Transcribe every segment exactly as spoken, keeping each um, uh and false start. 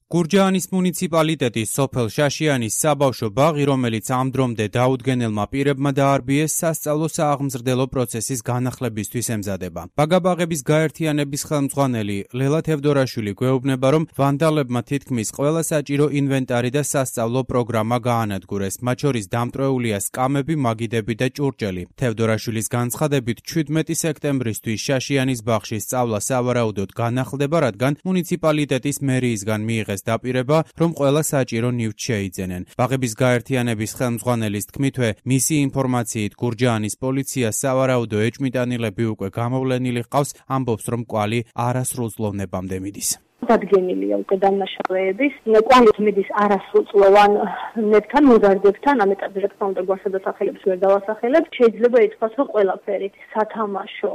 გურჯაანის მუნიციპალიტეტის სოფელ შაშიანის საბავშვო ბაღი, რომელიც ამ დრომდე დაუდგენელმა პირებმა დაარბიეს, სასწავლო სააღმზრდელო პროცესის განახლებისთვის ემზადება. ბაგაბაღების გაერთიანების ხელმძღვანელი ლელა თევდორაშვილი გვეუბნება, რომ ვანდალებმა თითქმის ყველა საჭირო ინვენტარი და სასწავლო პროგრამა გაანადგურეს, მათ შორის დამტვრეულია სკამები, მაგიდები და ჭურჭელი. თევდორაშვილის განცხადებით, შვიდმეტი სექტემბრისთვის შაშიანის ბაღში სწავლა სავარაუდოდ განახლდება, რადგან მუნიციპალიტეტის მერიისგან მიიღეს დაპირება, რომ ყველა საჭირო ნივთს შეიძენენ. ბაღების გაერთიანების ხელმძღვანელის თქმითვე, მისი ინფორმაციით გურჯაანის პოლიცია სავარაუდო ეჭვმიტანილები უკვე გამოვლენილი ჰყავს, ამბობს, რომ კვალი არასრულწლოვნებამდე მიდის. დადგენილია უკვე დამნაშავეების, კვალი მიდის არასრულწლოვან ნებთან, მოზარდებთან, ამ ეტაპზე რა თქმა უნდა გვასადასახელებს ვერ დავასახელებ. შეიძლება ითქვას, რომ ყველაფერი, სათამაშო,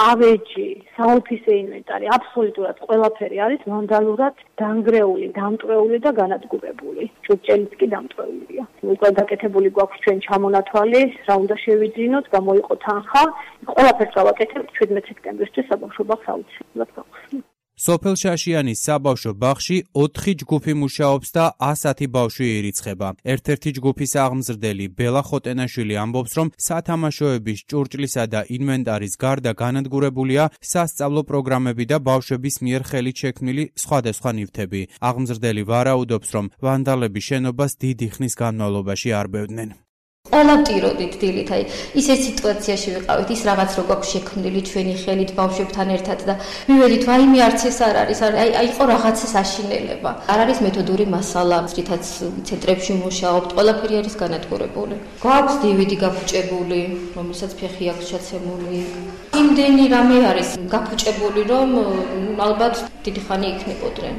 ავეჯი, საოფისე ინვენტარი, აბსოლუტურად ყველაფერი არის ვანდალურად დანგრეული, დამტვრეული და განადგურებული. ჭურჭელიც კი დამტვრეულია. უკვე გაკეთებული გვაქვს ჩვენ ჩამონათვალი, რა უნდა შევიძინოთ, გამოიყო თანხა, ყველაფერს გავაკეთებთ შვიდმეტი სექტემბრისთვის საბავშვო ბაღს აუცილებლად გავხსნით. სოფელ შაშიანის საბავშვო ბაღში ოთხი ჯგუფი მუშაობს და ასათი ბავშვი ირიცხება. ერთ-ერთი ჯგუფის აღმზრდელი ბელა ხოტენაშვილი ამბობს, რომ სათამაშოების, ჭურჭლისა და ინვენტარის გარდა განადგურებულია სასწავლო პროგრამები და ბავშვების მიერ ხელით შექმნილი სხვადასხვა ნივთები. აღმზრდელი ვარაუდობს, რომ ვანდალები შენობას დიდი ხნის განმავლობაში არბევდნენ. ყველა ტიროდით დილით, აი ისეთ სიტუაციაში ვიყავით, ის რაღაც რო გვაქვს შექმნილი ჩვენი ხელით ბავშვებთან ერთად და მივედით, ვაიმე არც ეს არ არის, აი აი იყო რაღაცის აშინელება. არ არის მეთოდური მასალა, რითაც ცენტრებში მუშაობთ, ყველაფერი არის განადგურებული. გვაქვს დივიდი გაფუჭებული, რომელსაც ფეხი აქვს ჩაცემული. იმდენი რამე არის გაფუჭებული, რომ ალბათ დიდი ხანი იქნებოდნენ.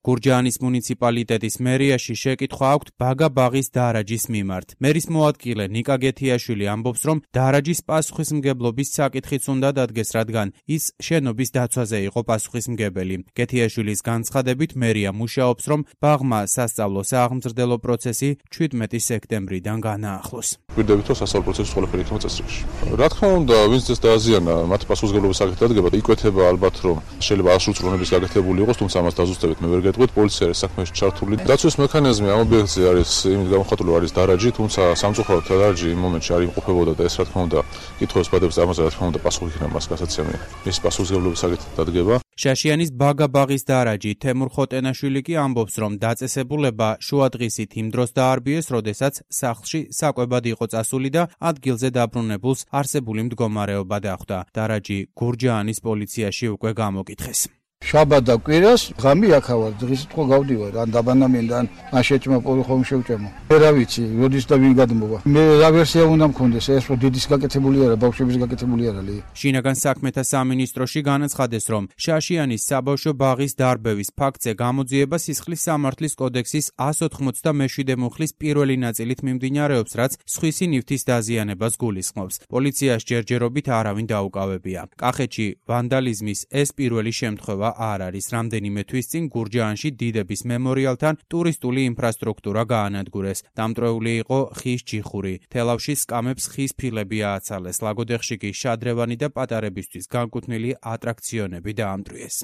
გურჯაანის მუნიციპალიტეტის მერიაში შეკითხვა აქვთ ბაგაბაღის დარაჯის მიმართ. მერის მოადგილე ნიკა გეთიაშვილი ამბობს, რომ დარაჯის პასუხისმგებლობის საკითხიც უნდა დადგეს, რადგან ის შენობის დაცვაზე იყო პასუხისმგებელი. გეთიაშვილის განცხადებით, მერია მუშაობს, რომ ბაღმა სასწავლო სააღმზრდელო პროცესი შვიდმეტი სექტემბრიდან განაახლოს. გვირდებით, რომ სასწავლო პროცესი ყველაფერი იქნება წესრიგში. რა თქმა უნდა, ვინც ეს დააზიანა, მათ პასუხისმგებლობის საკითხი დადგება, იკვეთება ალბათ, რომ შეიძლება არასრულწლოვნების გაკეთებული იყოს, თუმცა ამას დაზუსტებით მე ვერ გეტყვით, პოლიცია არის საქმეში ჩართული. დაცვის მექანიზმი ამ ობიექტზე არის იმით გამოხატული, არის დარაჯი, თუმცა სამწუხაროდ დარაჯი იმ მომენტში არ იმყოფებოდა და ეს რა თქმა უნდა კითხვებს ბადებს ამაზე რა თქმა უნდა პასუხი იქნება მას გასაცემი. მის პასუხისმგებლობის საკითხი დადგება. შაშიანის ბაგაბაღის დარაჯი თემურ ხოტენაშვილი კი ამბობს, რომ დაწესებულება შუადღისით იმ დროს დაარბიეს, როდესაც სახლში საკვებად იყო წასული და ადგილზე დაბრუნებულს არსებული მდგომარეობა დახვდა. დარაჯი გურჯაანის პოლიციაში უკვე გამოკითხეს. შაბათ და კვირას ღამე აქავარ, დღეს თქო გავდივარ, ან დაბანამინდან, ან შეჭმა პოლი ხომ შევჭემო. მე რა ვიცი, როდის და ვინ გადმოვა. მე რა ვერსია უნდა მქონდეს, ეს რო დიდის გაკეთებული არა, ბავშვების გაკეთებული არა ლი. შინაგან საქმეთა სამინისტროში განაცხადეს, რომ შაშიანის საბავშვო ბაღის დარბევის ფაქტზე გამოძიება სისხლის სამართლის კოდექსის εκατს ოთხმოცდამეშვიდე მუხლის პირველი ნაწილით მიმდინარეობს, რაც სხვისი ნივთის დაზიანებას გულისხმობს. პოლიციას ჯერჯერობით არავინ დაუკავებია. კახეთში ვანდალიზმის ეს პირველი შემთხვევა არ არის. რამდენიმე თვის წინ გურჯაანში დიდების მემორიალთან ტურისტული ინფრასტრუქტურა გაანადგურეს. დამტვრეული იყო ხის ჯიხური. თელავში სკამებს ხის ფილები ააცალეს. ლაგოდეხში კი შადრევანი და პატარებისთვის განკუთვნილი ატრაქციონები დაამტვრიეს.